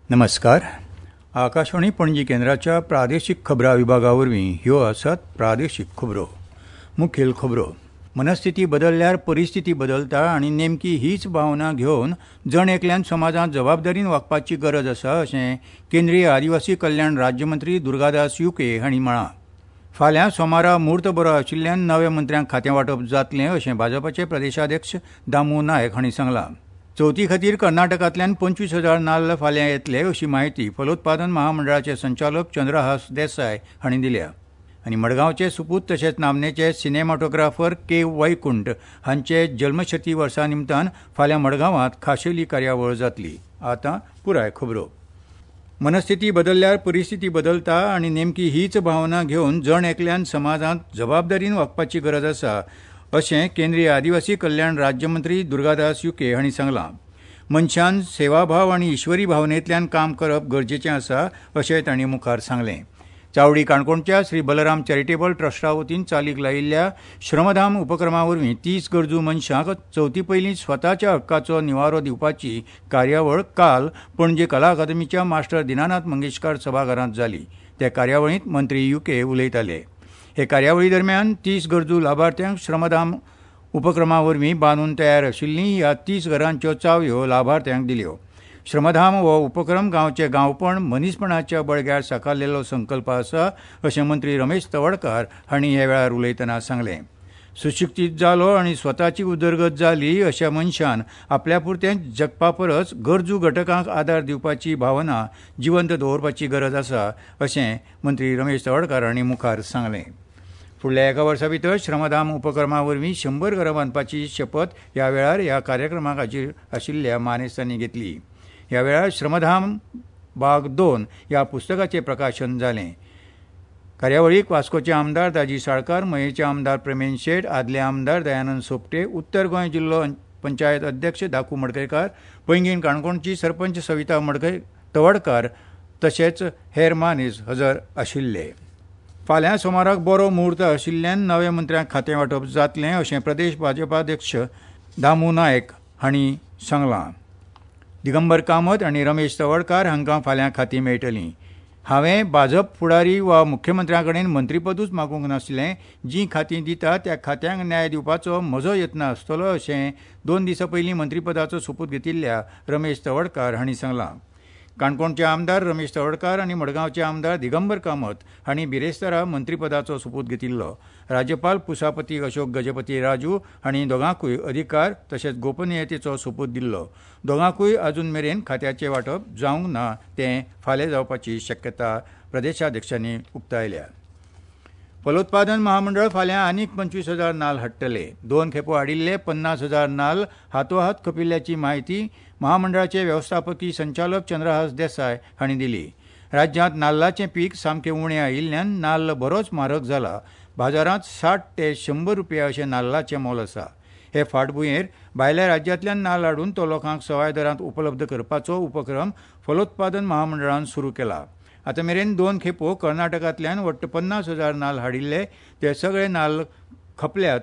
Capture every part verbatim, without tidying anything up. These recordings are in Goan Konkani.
नमस्कार. आकाशवाणी पणजी केंद्राच्या प्रादेशीक खबरां विभागा वरवीं ह्यो आसात प्रादेशीक खबरो. मुखेल खबरो. मनस्थिती बदलल्यार परिस्थिती बदलता आनी नेमकी हीच भावना घेवन जण एकल्यान समाजांत जबाबदारीन वागपाची गरज आसा अशें केंद्रीय आदिवासी कल्याण राज्यमंत्री दुर्गादास युके हांणी म्हळां. फाल्यां सोमारा म्हूर्त बरो आशिल्ल्यान नव्या मंत्र्यांक खातें वांटप जातलें अशें भाजपाचे प्रदेशाध्यक्ष दामू नायक हांणी सांगलां. चवथी खातीर कर्नाटकांतल्यान पंचवीस हजार नाल्ल फाल्यां येतले अशी म्हायती फलोत्पादन महामंडळाचे संचालक चंद्रहास देसाय हांणी दिल्या. आनी मडगांवचे सुपूत तशेंच नामनेचे सिनेमाटोग्राफर के वैकुंठ हांचे जल्मशती वर्सा निमतान फाल्यां मडगांवांत खाशेली कार्यावळ जातली. आतां पुराय खबरो. मनस्थिती बदलल्यार परिस्थिती बदलता आनी नेमकी हीच भावना घेवन जण एकल्यान समाजांत जबाबदारीन वागपाची गरज आसा अशें केंद्रीय आदिवासी कल्याण राज्यमंत्री दुर्गादास युके हांणी सांगलां. मनशान सेवाभाव आनी ईश्वरी भावनेंतल्यान काम करप गरजेचें आसा अशें तांणी मुखार सांगलें. चावडी काणकोणच्या श्री बलराम चॅरिटेबल ट्रस्टा वतीन चालीक लायिल्ल्या श्रमधाम उपक्रमा वरवीं तीस गरजू मनशांक चवथी पयलीं स्वताच्या हक्काचो निवारो दिवपाची कार्यावळ काल पणजे कला अकादमीच्या मास्टर दिनानाथ मंगेशकार सभाघरांत जाली. त्या कार्यावळींत मंत्री युके उलयताले. हे कार्यावळी दरम्यान तीस गरजू लाभार्थ्यांक श्रमधाम उपक्रमा वरवीं बांदून तयार आशिल्लीं ह्या तीस घरांच्यो चावयो लाभार्थ्यांक दिल्यो. श्रमधाम हो उपक्रम गांवचे गांवपण मनीसपणाच्या बळग्यार साकारलेलो संकल्प आसा अशें मंत्री रमेश तवडकार हांणी ह्या वेळार उलयतना सांगलें. सुशिक्षीत जालो आनी स्वताची उदरगत जाली अशा मनशान आपल्या पुरतें जगपा परस गरजू घटकांक आदार दिवपाची भावना जिवंत दवरपाची गरज आसा अशें मंत्री रमेश तवडकार हांणी मुखार सांगलें. फुडल्या एका वर्सा भितर श्रमधाम उपक्रमा वरवीं शंबर घरां बांदपाची शपथ ह्या वेळार ह्या कार्यक्रमाक हाजीर आशिल्ल्या मानेस्तांनी घेतली. ह्या वेळार श्रमधाम भाग दोन ह्या पुस्तकाचें प्रकाशन जालें. कार्यावळीक वास्कोचे आमदार दाजी साळकार, मयेचे आमदार प्रेमेन शेट, आदले आमदार दयानंद सोपटे, उत्तर गोंय जिल्लो पंचायत अध्यक्ष धाकू मडकयकार, पैंगीण काणकोणची सरपंच सविता मडकय तवडकार तशेंच हेर मानेस हजर आशिल्ले. फाल्यां सोमाराक बरो म्हूर्त आशिल्ल्यान नव्या मंत्र्यांक खातें वांटप जातलें अशें प्रदेश भाजपाध्यक्ष दामू नायक हांणी सांगलां. दिगंबर कामत आनी रमेश तवडकार हांकां फाल्यां खातीं मेळटलीं. हांवें भाजप फुडारी वा मुख्यमंत्र्यां कडेन मंत्रीपदूच मागूंक नासलें. जीं खातीं दिता त्या खात्यांक न्याय दिवपाचो म्हजो यत्न आसतलो अशें दोन दिसां पयलीं मंत्रीपदाचो सोपूत घेतिल्ल्या रमेश तवडकार हांणी सांगलां. काणकोणचे आमदार रमेश तवडकार आनी मडगांवचे आमदार दिगंबर कामत हांणी बिरेस्तारा मंत्रीपदाचो सोपूत घेतिल्लो. राज्यपाल पुसापती अशोक गजपती राजू हांणी दोगांकूय अधिकार तशेंच गोपनीयतेचो सोपूत दिल्लो. दोगांकूय अजून मेरेन खात्याचें वांटप जावंक ना, तें फाल्यां जावपाची शक्यता प्रदेशाध्यक्षांनी उक्तायल्या. फलोत्पादन महामंडळ फाल्यां आनीक पंचवीस हजार नाल्ल हाडटले. दोन खेपो हाडिल्ले पन्नास हजार नाल्ल हातोहात खपिल्ल्याची म्हायती महामंडळाचे वेवस्थापकी संचालक चंद्रहास देसाय हांणी दिली. राज्यांत नाल्लाचें पीक सामकें उणें आयिल्ल्यान नाल्ल बरोच म्हारग जाला. बाजारांत साठ ते शंबर रुपया अशें नाल्लाचें मोल आसा. हे फाटभुंयेर भायल्या राज्यांतल्यान नाल्ल हाडून तो लोकांक सवाय दरांत उपलब्ध करपाचो उपक्रम फलोत्पादन महामंडळान सुरू केला. आतां मेरेन दोन खेपो कर्नाटकांतल्यान वट्ट पन्नास हजार नाल्ल हाडिल्ले, ते सगळे नाल्ल खपल्यात.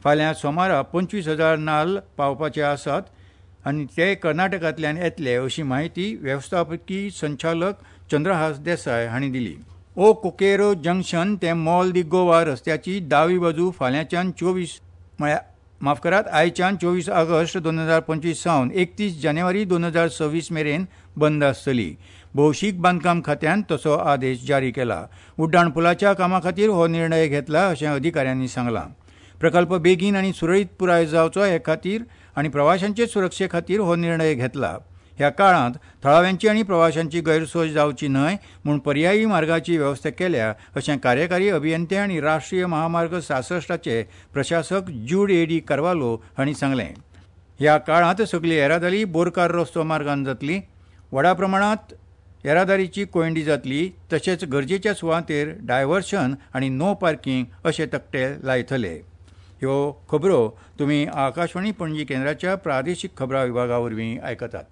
फाल्यां सोमारा पंचवीस हजार नाल्ल पावपाचे आसात आनी ते कर्नाटकांतल्यान येतले अशी म्हायती वेवस्थापकी संचालक चंद्रहास देसाय हांणी दिली. ओ कोकेरो जंक्शन ते मॉल दी गोवा रस्त्याची दावी बाजू फाल्यांच्यान चोवीस म्हळ्यार माफ करात आयच्यान चोवीस ऑगस्ट दोन हजार पंचवीस सावन एकतीस जानेवारी दोन हजार सव्वीस मेरेन बंद आसतली. भौशीक बांदकाम खात्यान तसो आदेश जारी केला. उड्डाण पुलाच्या कामा खातीर हो निर्णय घेतला अशें अधिकाऱ्यांनी सांगलां. प्रकल्प बेगीन आनी सुरळीत पुराय जावचो हे खातीर आनी प्रवाशांचे सुरक्षे खातीर हो निर्णय घेतला. ह्या काळांत थळाव्यांची आनी प्रवाशांची गैरसोय जावची न्हय म्हूण पर्यायी मार्गाची वेवस्था केल्या अशें कार्यकारी अभियंते आनी राष्ट्रीय महामार्ग सासश्टाचे प्रशासक ज्यूड एडी कार्वालो हांणी सांगलें. ह्या काळांत सगली येरादारी बोरकार रस्तो मार्गान जातली. व्हडा प्रमाणांत येरादारीची कोयंडी जातली. तशेंच गरजेच्या सुवातेर डायव्हर्शन आनी नो पार्किंग अशे तकटे लायतले. ह्यो खबरो तुमी आकाशवाणी पणजी केंद्राच्या प्रादेशीक खबरां विभागा वरवीं आयकतात.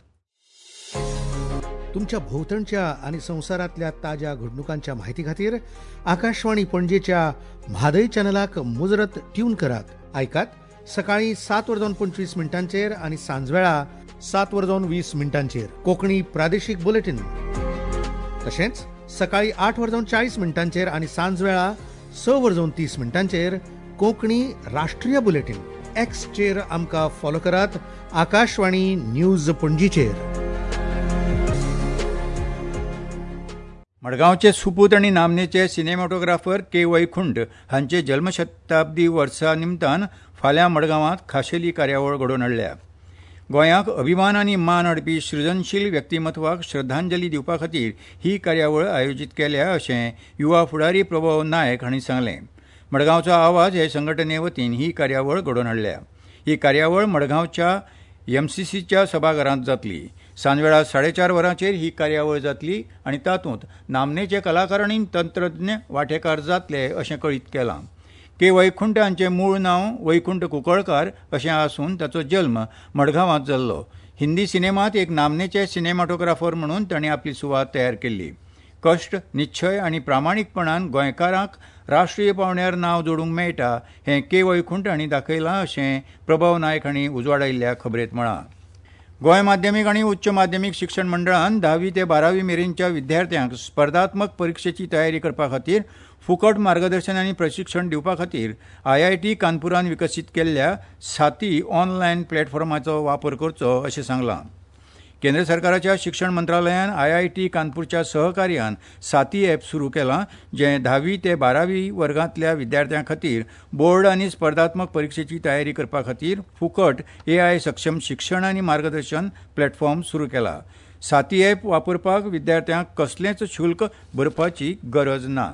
तुमच्या भोवतणच्या आनी संवसारांतल्या ताज्या घडणुकांच्या माहिती खातीर आकाशवाणी पणजेच्या म्हादय चॅनलाक मुजरत ट्यून करात. आयकात सकाळी सात वर जावन पंचवीस मिनटांचेर आनी सांजवेळा सात वर जावन वीस मिनटांचेर कोंकणी प्रादेशीक बुलेटीन. तशेंच सकाळी आठ वर जावन चाळीस मिनटांचेर आनी सांजवेळा स वर जावन तीस मिनटांचेर कोंकणी राष्ट्रीय बुलेटीन. एक्सचेर आमकां फॉलो करात आकाशवाणी न्यूज पणजीचेर. मडगांवचे सुपूत आनी नामनेचे सिनेमॅटोग्राफर के वैकुंठ हांचे जल्मशताब्दी वर्सा निमतान फाल्यां मडगांवांत खाशेली कार्यावळ घडोवन हाडल्या. गोंयाक अभिमान आनी मान हाडपी सृजनशील व्यक्तिमत्वाक श्रद्धांजली दिवपा खातीर ही कार्यावळ आयोजीत केल्या अशें युवा फुडारी प्रभव नायक हांणी सांगलें. मडगांवचो आवाज हे संघटने वतीन ही कार्यावळ घडोवन हाडल्या. ही कार्यावळ मडगांवच्या एमसीसीच्या सभाघरांत जातली. सांजवेळा साडेचार वरांचेर ही कार्यावळ जातली आनी तातूंत नामनेचे कलाकार आनी तंत्रज्ञ वांटेकार जातले अशें कळीत केलां. के वैकुंठ हांचें मूळ नांव वैकुंठ कुंकळकार अशें आसून ताचो जल्म मडगांवांत जाल्लो. हिंदी सिनेमांत एक नामनेचे सिनेमॅटोग्राफर म्हणून तांणी आपली सुवात तयार केल्ली. कश्ट, निश्चय आनी प्रामाणीकपणान गोंयकारांक राष्ट्रीय पांवड्यार नांव जोडूंक मेळटा हें के वैकुंठ हांणी दाखयलां अशें प्रभव नायक हांणी उजवाडायिल्ल्या खबरेंत म्हळां. गोंय माध्यमीक आनी उच्च माध्यमीक शिक्षण मंडळान धावी ते बारावी मेरेनच्या विद्यार्थ्यांक स्पर्धात्मक परिक्षेची तयारी करपा खातीर फुकट मार्गदर्शन आनी प्रशिक्षण दिवपा खातीर I I T कानपुरान विकसीत केल्ल्या साथी ऑनलायन प्लॅटफॉर्माचो वापर करचो अशें सांगलां. केंद्र सरकाराच्या शिक्षण मंत्रालयान I I T कानपूरच्या सहकार्यान साथी ॲप सुरू केलां, जें धावी ते बारावी वर्गांतल्या विद्यार्थ्यां खातीर बोर्ड आनी स्पर्धात्मक परिक्षेची तयारी करपा खातीर फुकट ए I सक्षम शिक्षण आनी मार्गदर्शन प्लॅटफॉर्म सुरू केला. साथी ॲप वापरपाक विद्यार्थ्यांक कसलेंच शुल्क भरपाची गरज ना.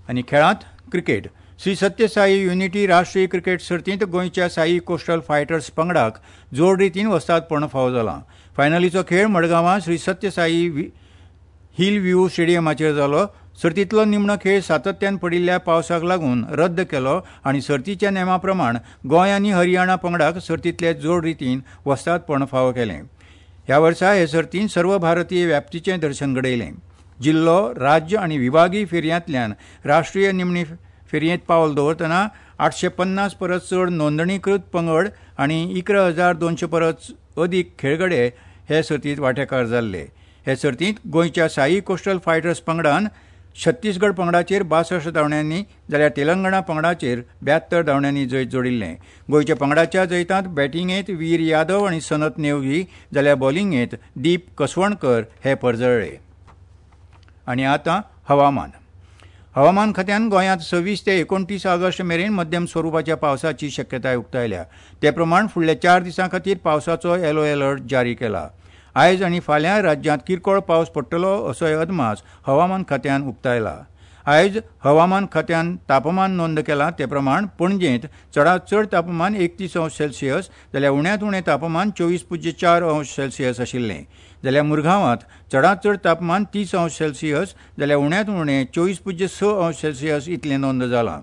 आनी खेळांत क्रिकेट. श्री सत्य साई युनिटी राष्ट्रीय क्रिकेट सर्तींत गोंयच्या साई कोस्टल फायटर्स पंगडाक जोड रितीन वस्तादपण फावो जालां. फायनलीचो खेळ मडगांवां श्री सत्य साई हिल व्यू स्टेडियमाचेर जालो. सर्तींतलो निमणो खेळ सातत्यान पडिल्ल्या पावसाक लागून रद्द केलो आनी सर्तीच्या नेमा प्रमाण गोंय आनी हरियाणा पंगडाक सर्तींतले जोड रितीन वस्तादपण फावो केलें. ह्या वर्सा हे सर्तीन सर्व भारतीय व्याप्तीचें दर्शन घडयलें. जिल्लो, राज्य आनी विभागीय फेरयांतल्यान राष्ट्रीय निमणी फेरयेंत पावल दवरतना आठशे पन्नास परस चड नोंदणीकृत पंगड आनी इकरा हजार दोनशे परस अदीक खेळगडे हे सर्तींत वांटेकार जाल्ले. हे सर्तींत गोंयच्या साई कोस्टल फायटर्स पंगडान छत्तीसगड पंगडाचेर बासश्ट धांवड्यांनी जाल्यार तेलंगणा पंगडाचेर ब्यात्तर धांवड्यांनी जैत जोडिल्लें. गोंयच्या पंगडाच्या जैतांत बॅटिंगेंत वीर यादव आनी सनत नेवगी जाल्यार बॉलिंगेंत दीप कसवणकर हे परजळ्ळे. आनी आतां हवामान. हवामान खात्यान गोंयांत सव्वीस ते एकोणतीस ऑगस्ट मेरेन मध्यम स्वरुपाच्या पावसाची शक्यताय उक्तायल्या. ते प्रमाण फुडल्या चार दिसां खातीर पावसाचो येलो अलर्ट जारी केला. आयज आनी फाल्यां राज्यांत किरकोळ पावस पडटलो असोय अदमास हवामान खात्यान उक्तायला. आयज हवामान खात्यान तापमान नोंद केलां ते प्रमाण पणजेंत चडांत चड तापमान एकतीस अंश सेल्सियस जाल्यार उण्यांत उणें तापमान चोवीस पुज्य चार अंश सेल्सियस आशिल्लें. जाल्यार मुरगांवांत चडांत चड तापमान तीस अंश सेल्सियस जाल्यार उण्यांत उणें चोवीस पुज्य स अंश सेल्सियस इतलें नोंद जालां.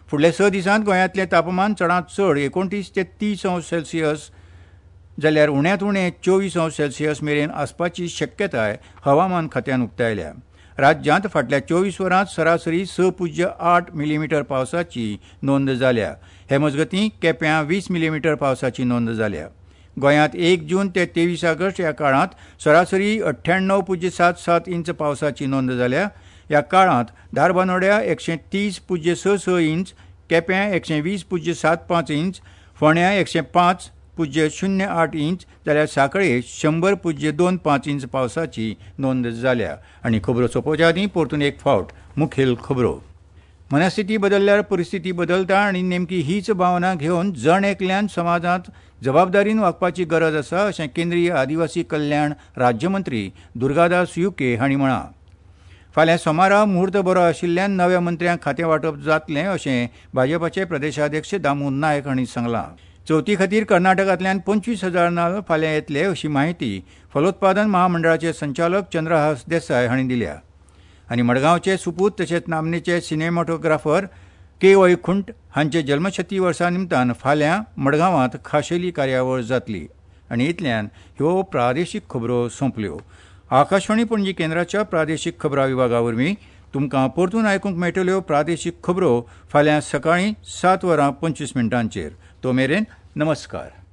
फुडल्या स दिसांत गोंयांतलें तापमान चडांत चड एकोणतीस ते तीस अंश सेल्सियस जाल्यार उण्यांत उणें चोवीस अंश सेल्सियस मेरेन आसपाची शक्यताय हवामान खात्यान उक्तायल्या. राज्यांत फाटल्या चोवीस वरांत सरासरी स पुज्य आठ मिलीमिटर पावसाची नोंद जाल्या. हे मजगतीं केप्यां वीस मिलीमिटर पावसाची नोंद जाल्या. गोंयांत एक जून ते तेवीस ऑगस्ट ह्या काळांत सरासरी अठ्ठ्याण्णव पुज्य सात सात इंच पावसाची नोंद जाल्या. ह्या काळांत धारबानोड्या एकशे तीस पुज्य स स इंच, केप्यां एकशे वीस पुज्य सात पांच इंच, फोंड्यां एकशे पांच पुज्य शून्य आठ इंच जाल्यार सांखळे शंबर पुज्य दोन पांच इंच पावसाची नोंद जाल्या. आनी खबरो सोंपोवच्या आदीं परतून एक फावट मुखेल खबरो. मनस्थिती बदलल्यार परिस्थिती बदलता आनी नेमकी हीच भावना घेवन जण एकल्यान समाजांत जबाबदारीन वागपाची गरज आसा अशें केंद्रीय आदिवासी कल्याण राज्यमंत्री दुर्गादास युके हांणी म्हळां. फाल्यां सोमारा मुहूर्त बरो आशिल्ल्यान नव्या मंत्र्यांक खातें वांटप जातलें अशें भाजपाचे प्रदेशाध्यक्ष दामू नायक हांणी सांगलां. चवथी खातीर कर्नाटकांतल्यान पंचवीस हजार नाल्ल फाल्यां येतले अशी माहिती फलोत्पादन महामंडळाचे संचालक चंद्रहास देसाय हांणी दिल्या. आनी मडगांवचे सुपूत तशेंच नामनेचे सिनेमॅटोग्राफर के वैकुंठ हांचे जल्मशती वर्सा निमतान फाल्यां मडगांवांत खाशेली कार्यावळ जातली. आनी इतल्यान ह्यो प्रादेशीक खबरो सोंपल्यो. आकाशवाणी पणजी केंद्राच्या प्रादेशीक खबरां विभागा वरवीं तुमकां परतून आयकूंक मेळटल्यो प्रादेशीक खबरो फाल्यां सकाळीं सात वरां पंचवीस मिनटांचेर. तो मेरेन नमस्कार.